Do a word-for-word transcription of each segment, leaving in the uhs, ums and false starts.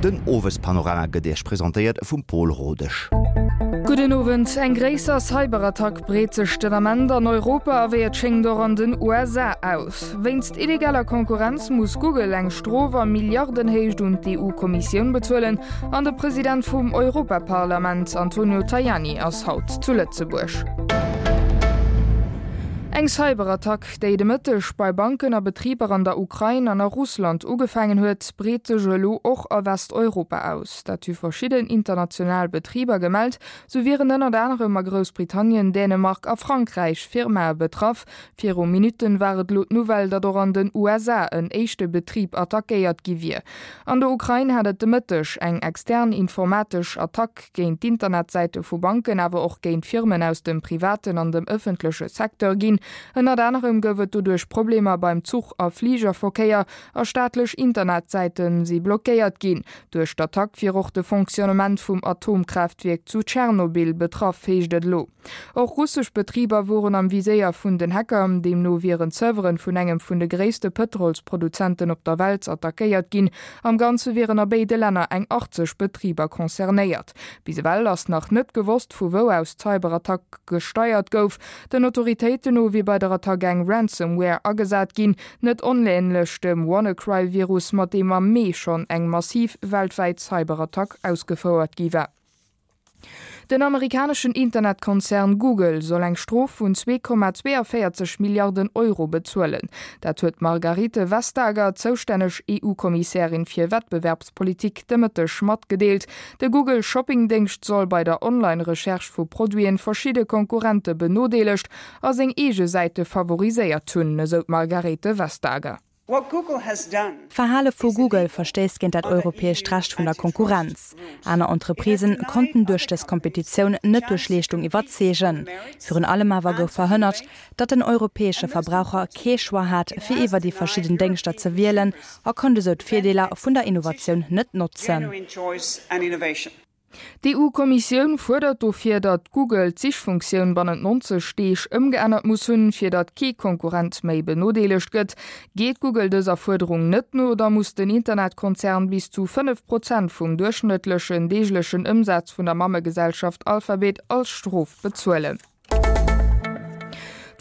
Den Owespanorama gëtt Iech presentéiert vum Paul Rodesch. Gudden Owend. Eng gréisser Cyberattack breet sech den Ament an Europa a wéi et schéngt och an den U S A aus. Wéinst illegaler Konkurrenz muss Google eng Strof a Milliardenhéicht un d'E U-Kommissioun bezuelen an de President vum Europaparlament Antonio Tajani ass haut zu Lëtzebuerg. Eng Cyberattack, déi de Mëtteg bei Banken a Betriber an der Ukrain an a Russland ugefaangen huet, breet sech elo och a Westeuropa aus. Dat hu verschidden international Betriber gemellt, sou wieren ënnert anerem a Groussbritannien, Dänemark a Frankräich Firmae betraff. Viru Minutten war et elo d'Nouvelle, datt och an den U S A en éischte Betrib attackéiert gi wier. An der Ukrain hat et de Mëtteg eng extern informatesch Attack géint d'Internetsäite vu Banken, awer och géint Firmen aus dem privaten an dem ëffentleche Secteur ginn. Ënnert anerem gouf et doduerch Problemer beim Zuch a Fligerverkéier a staatlech Internetsäite si blockéiert ginn. Duerch d'Attack wier och de Fonctionnement vum Atomkraaftwierk zu Tschernobyl betraff, heescht et elo. Och russesch Betriber woren am Viséier vun den Hacker, deemno wieren Servere vun engem vun de gréisste Pëtrolsproduzenten op der Welt attackéiert ginn. Am Ganze wieren a béide Länner eng achtzeg Betriber concernéiert. Bis ewell ass nach net gewosst, vu wou aus d'Cyberattack gesteiert gouf. Den Autoritéiten no wier bei der Attack eng Ransomware agesat ginn, net onänlech dem WannaCry-Virus, mat deem am Mee schonn eng massiv weltwäit Cyberattack ausgefouert gi war. Den amerikaneschen Internetkonzern Google soll eng Strof vun zwee Komma zwéianvéierzeg Milliarden Euro bezuelen. Dat huet d'Margrethe Vestager, zoustänneg E U-Kommissärin fir Wettbewerbspolitik, de Mëtteg matgedeelt. De Google Shoppingdéngscht soll bei der Online-Recherche vu Produiten verschidde Konkurrente benodeelegt a seng eege Säite favoriséiert hunn, esou d'Margrethe Vestager. D'Verhale vu Google verstéisst géint dat europäescht Recht vun der Konkurrenz. Aner Entreprisen konnten duerch dës Kompetitioun net duerch Leeschtung iwwerzeegen. Virun allem awer gouf verhënnert, datt den europäesche Verbraucher kee Choix hat, fir iwwer déi verschidden Déngschter ze wielen a konnt esou d'Virdeeler vun der Innovatioun net notzen. D'E U-Kommissioun fuerdert dofir, datt Google d'Sichfunktioun bannent neunzeg Deeg ëmgeännert muss hunn, fir datt kee Konkurrent méi benodeelegt gëtt. Geet Google dëser Fuerderung net no, da muss den Internetkonzern bis zu fënnef Prozent vum duerchschnëttlechen deeglechen Ëmsaz vun der Mammegesellschaft Alphabet als Strof bezuelen.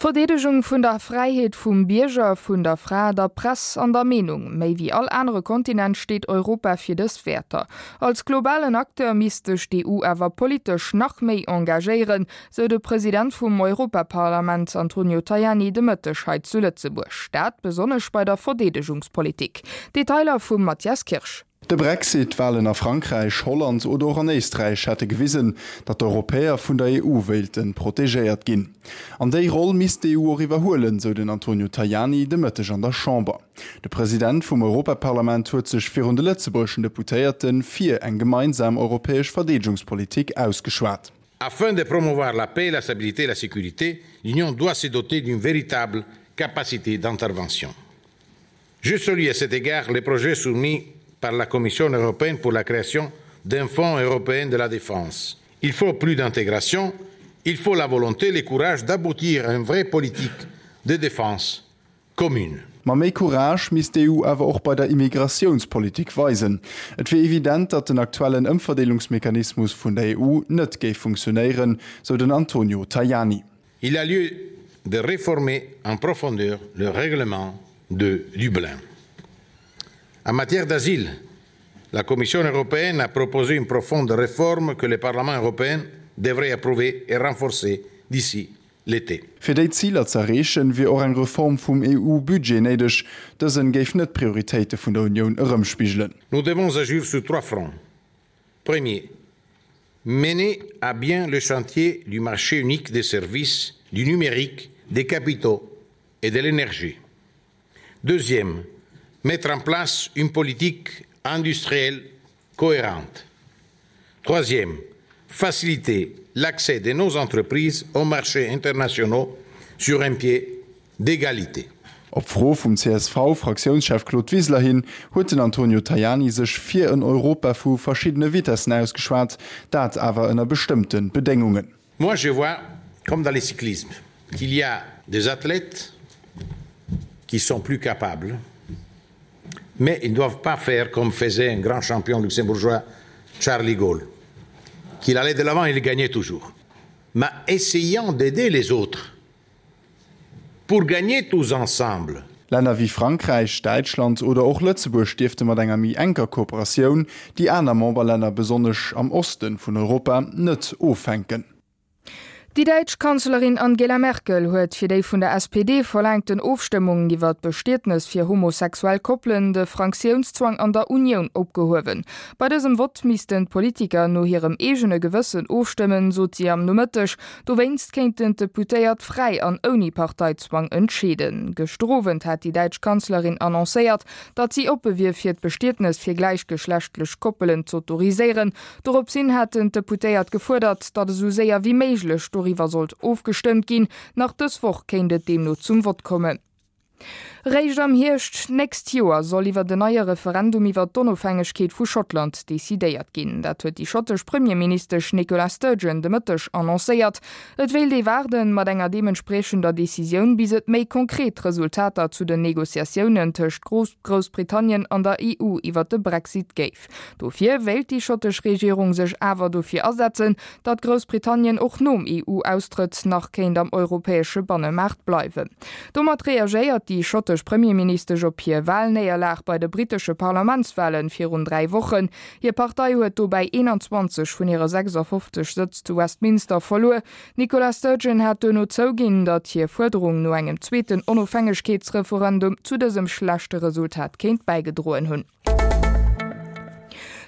D'Verdeedegung vun der Fräiheet vum Bierger, vun der Fra, der Press an der Meenung. Méi wéi all anere Kontinent steet Europa fir dës Wäerter. Als globalen Acteur misst sech d'E U awer politesch nach méi engagéieren, sou de President vum Europaparlament Antonio Tajani de Mëtteg hei zu Lëtzebuerg. Dat besonnesch bei der Verdeedegungspolitik. Detailer vum Matthias Kirsch. De Brexit, Walen a Frankräich, Holland oder och an Éisträich hätte gewisen, datt d'Europäer vun der E U wéilte protegéiert ginn. An déi Roll misst d'E U och iwwerhuelen, sou den Antonio Tajani de Mëtteg an der Chamber. De President vum Europaparlament huet sech virun de lëtzebuergeschen Deputéierte fir eng gemeinsam europäesch Verdeedegungspolitik ausgeschwat. Afin de promouvoir la paix, la stabilité et la sécurité, l'Union doit se doter d'une véritable capacité d'intervention. Je salue à cet égard les projets soumis par la Commission européenne pour la création d'un fonds européen de la défense. Il faut plus d'intégration, il faut la volonté et le courage d'aboutir à une vraie politique de défense commune. Ma méi Courage misst d'E U awer och bei der Immigratiounspolitik weisen. Et wier evident, datt den aktuellen Ëmverdeelungsmechanismus vun der E U net géif funktionéieren, sou den Antonio Tajani. Il a lieu de réformer en profondeur le règlement de Dublin. En matière d'asile, la Commission européenne a proposé une profonde réforme que le Parlement européen devrait approuver et renforcer d'ici l'été. Fir déi Ziler z'erreechen, wier och eng Reform vum E U-Budget néideg, dësen géif net d'Prioritéite vun der Unioun erëmspigelen. Nous devons agir sur trois fronts. Premier, mener à bien le chantier du marché unique des services, du numérique, des capitaux et de l'énergie. Deuxième, mettre en place une politique industrielle cohérente. Troisième, faciliter l'accès de nos entreprises aux marchés internationaux sur un pied d'égalité. Op Fro vum C S V-Fraktiounschef Claude Wiseler hin huet den Antonio Tajani sech fir en Europa vu verschiddene Vitessen ausgeschwat, dat awer ënner bestëmmte Bedéngungen. Moi je vois, comme dans le cyclisme, qu'il y a des athlètes qui sont plus capables, Mais ils ne doivent pas faire comme faisait un grand champion luxembourgeois, Charlie Gaulle, qu'il allait de l'avant et il gagnait toujours. Mais essayant d'aider les autres pour gagner tous ensemble. Länner wéi Frankräich, Däitschland oder och Lëtzebuerg dierfte mat enger méi enker Kooperatioun déi aner Memberlänner, besonnesch am Oste vun Europa, net offänken. Déi däitsch Kanzlerin Angela Merkel huet fir déi vun der S P D verlaangten Ofstëmmung iwwer d'Bestietnes fir homosexuell Koppelen de Fraktiounszwang an der Unioun opgehuewen. Bei dësem Vott missten d'Politiker no hirem eegene Gewëssen ofstëmmen, sot si am Nomëtteg. Dowéinst kéinten d'Deputéiert fräi an ouni Parteizwang entscheeden. Gëschter Owend hat déi däitsch Kanzlerin annoncéiert, datt si oppe wier fir d'Bestietnes fir gläichgeschlechtlech Koppelen z'autoriséieren. Dorops hin haten d'Deputéiert gefuerdert, datt esou séier wéi méiglech doriwwer sollt ofgestëmmt ginn. Nach dës Woch kéint et deemno zum Vott kommen. Réischt am Hierscht d'nächst Joer soll iwwer den neie Referendum iwwer d'Onofhängegkeet vu Schottland decidéiert ginn. Dat huet déi schottesch Premierministesch Nicola Sturgeon de Mëtteg annoncéiert. Et wéilt ee waarden mat enger deementspriechender Decisioun, bis et méi konkret Resultater zu den Negociatiounen tëscht Groussbritannien an der E U iwwer de Brexit géif. Dofir wéilt déi schottesch Regierung sech awer dofir asetzen, datt Groussbritannien och nom E U-Austrëtt nach kéint am europäesche Bannemaart bleiwen. Domat reagéiert déi schottesch Premierministesch op hir Walnéierlag bei de brittesche Parlamentswalen virun dräi Wochen. Hir Partei huet dobäi eenanzwanzeg vun hire sechsafofzeg Sëtz zu Westminster verluer. D'Nicola Sturgeon hat duerno zouginn, datt hir Fuerderung no engem zweeten Onofhängegkeetsreferendum zu dësem schlechte Resultat kéint bäigedroen hunn.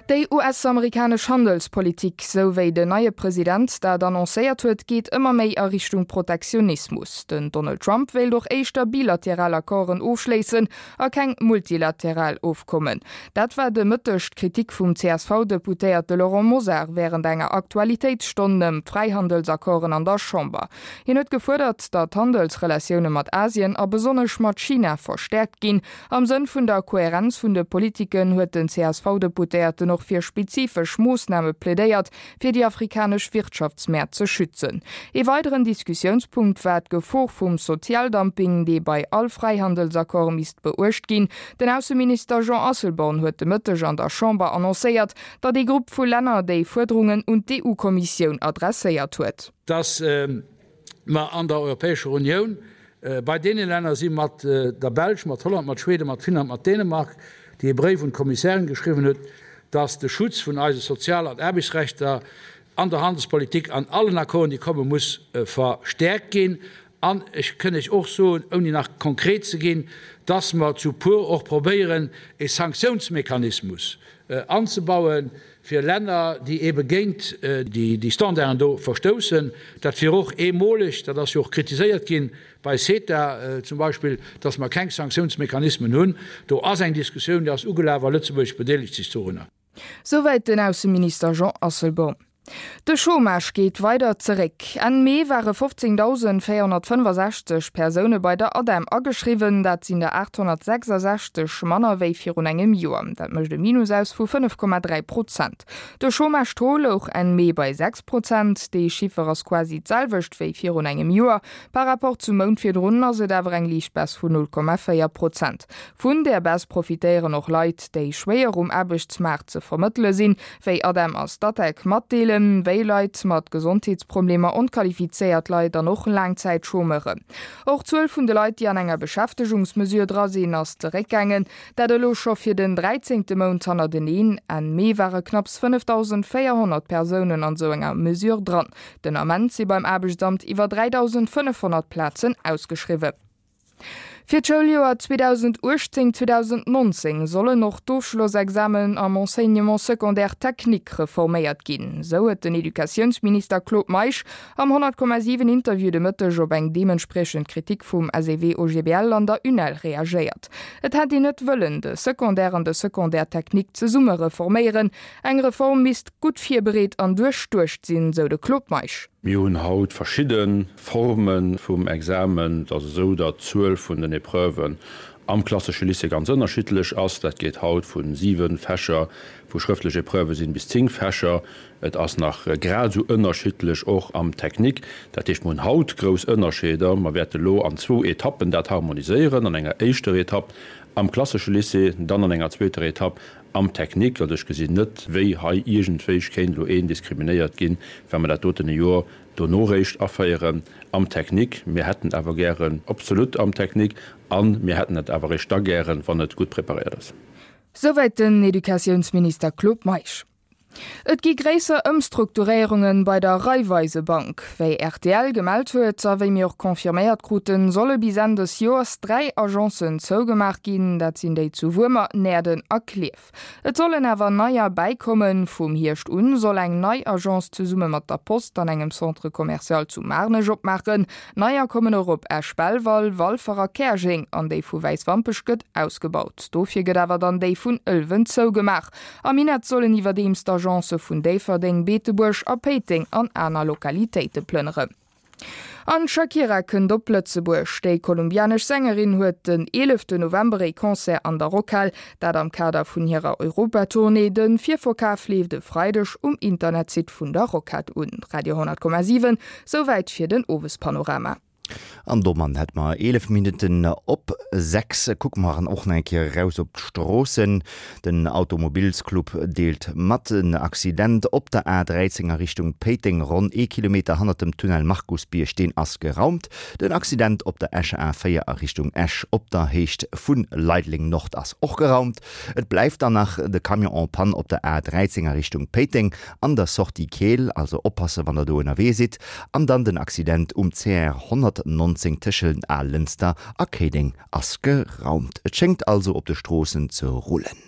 Déi U S-amerikanesch Handelspolitik, sou wéi den neie President dat annoncéiert huet, geet ëmmer méi a Richtung Protektionismus. Den Donald Trump wéilt och éischter bilateral Accorden ofschléissen a keng multilateral Ofkommen. Dat war de Mëtteg d'Kritik vum C S V-Deputéierte Laurent Mosar wärend enger Aktualitéitsstonn ëm d'Fräihandelsaccorden an der Chamber. Hien huet gefuerdert, datt d'Handelsrelatioune mat Asien a besonnesch mat China verstäerkt ginn. Am Sënn vun der Kohärenz vun de Politiken huet den C S V-Deputéierten och fir spezifesch Moossname plädéiert, fir déi afrikanesch Wirtschaftsmäert ze schützen. Ee weideren Diskussiounspunkt war d'Gefor vum Sozialdumping, dee bei all Fräihandelsaccord misst beuecht ginn. Den Ausseminister Jean Asselborn huet de Mëtteg an der Chamber annoncéiert, datt ee Grupp vu Länner déi Fuerderungen un d'E U-Kommissioun adresséiert huet. Dass mer an der Europäescher Unioun bei deene Länner si mat der Belsch, mat Holland, mat Schweden, mat Finnland, mat Dänemark, déi e Bréif un d'Kommissärin geschriwwen huet, dass de Schutz vun eise Sozial an Aarbechtsrechter an der Handelspolitik an allen Accorden, déi kommen, muss verstäerkt ginn. An ech kënn Iech och soen, ouni nach konkret ze ginn, dass mer zu puer och probéieren, e Sanktiounsmechanismus anzebauen fir Länner, déi ebe géint déi Standarden do verstoussen. Dat wier och eemoleg, dat ass jo och kritiséiert ginn bei CETA zum Beispill, dass mer keng Sanktiounsmechanismen hunn. Do ass eng Diskussioun, déi ass ugelaf a Lëtzebuerg bedeelegt sech dorunner. Souwäit den Ausseminister Jean Asselborn. De Chômage geet weider zeréck. Enn Mee ware fofzéngdausendvéierhonnertfënnefasechzeg Persoune bei der ADEM ageschriwwen, dat sinn der aathonnertsechsasechzeg manner wéi virun engem Joer. Dat mécht e Minus aus vu fënnef Komma dräi Prozent. De Chômage-Taux louch Enn Mee bei sechs Prozent, dee Chiffer ass quasi d'selwecht wéi virun engem Joer. Par rapport zum Mount virdrun ass et awer eng liicht Baisse vun null Komma véier Prozent. Vun där Baisse profitéieren och Leit, déi schwéier um Aarbechtsmaart ze vermëttele sinn, wéi ADEM a Statec matdeelen, wéi Leit mat Gesondheetsproblemer, onqualifizéiert Leit an och Laangzäitchômeuren. Och d'Zuel vun de Leit, déi an enger Beschäftegungsmesure dra sinn, ass zeréckgaangen, dat elo scho fir den dräizéngte Mount hannerteneen. Enn Mee ware knapps fënnefdausendvéierhonnert Persounen an esou enger Mesure dran. Den Ament si beim Aarbechtsamt iwwer dräidausendfënnefhonnert Plazen ausgeschriwwen. Fir d'Schouljoer zweedausenduechtzéng zweedausennonzéng sollen och d'Ofschlossexamen am Enseignement secondaire technique reforméiert ginn. Sou huet den Educatiounsminister Claude Meisch am honnert Komma siwen Interview de Mëtteg op eng deementspriechend Kritik vum S E W O G B L an der UNEL reagéiert. Et hätt een net wëllen, de Secondaire an de Secondaire technique zesumme reforméieren. Eng Reform misst gutt virbereet an duerchduecht sinn, sou de Claude Meisch. Mir hunn haut verschidde Forme vum Examen. Et ass esou, datt d'Zuel vun den Epreuven am klassesche Lycée ganz ënnerschiddlech ass. Dat geet haut vu siwe Fächer, wou schrëftlech Epreuvë sinn, bis zéng Fächer. Et ass nach grad esou ënnerschiddlech och am Technique. Dat heescht, mir hunn haut grouss Ënnerscheeder. Mer wäerte lo an zwou Etappen dat harmoniséieren. An enger éischter Etapp am klassesche Lycée, dann an enger zweeter Etapp am Technique. Also ech gesinn net, wéi hei iergendwéi kéint elo een diskriminéiert ginn, wa mer dat doten e Joer dono réischt aféieren am Technique. Mir hätten awer gären absolut am Technique a mir hätten et awer réischt da gären, wann et gutt preparéiert ass. Souwäit den Educatiounsminister Claude Meisch. Et gi gréisser Ëmstrukturéierunge bei der Raiffeisebank. Wéi rtl gemellt huet a wéi mir och confirméiert kruten, solle bis Enn des Joers dräi Agencen zougemaach ginn, dat sinn déi zu Wuermer, Näerden a Klierf. Et sollen awer neier bäikommen. Vum Hierscht un soll eng nei Agence zesumme mat der Post an engem Centre commercial zu Maarnech opmaachen. Neier kommen och op Esch-Belval, Walfer a Käerjeng an déi vu Wäiswampech gëtt ausgebaut. Dofir gëtt awer dann déi vun Ëlwen zougemaach. Am Minett sollen iwwerdeems d'Agencë vun Déifferdeng, Beetebuerg a Péiteng an aner Lokalitéite plënneren. An d'Shakira kënnt op Lëtzebuerg. Déi kolumbianesch Sängerin huet den eeleften November ee Concert an der Rockhal, dat am Kader vun hirer Europatournée. De Virverkaf leeft e Freideg um Internetsite vun der Rockhal un. Radio honnert Komma siwen, Souwäit fir den Owespanorama. An domat hätte mer eelef Minutten op sechs. Kucke mer och nach eng Kéier eraus op d'Stroossen. Den Automobilsclub deelt mat, en Accident op der A dräizéng a Richtung Péiteng, ronn ee Kilometer hannert dem Tunnel Markusbierg, deen ass geraumt. Den Accident op der Escher A véier a Richtung Esch op der Héicht vu Leideleng Nord ass och geraumt. Et bleift dann nach de Camion en panne op der A dräizéng a Richtung Péiteng an der Sortie Keel, also oppasse wann der do ënnerwee sidd. An dann den Accident um C R honnertnonzéng tëschent Al Lënster a Kéideng ass geraumt. Et schéngt also op de Stroossen ze rullen.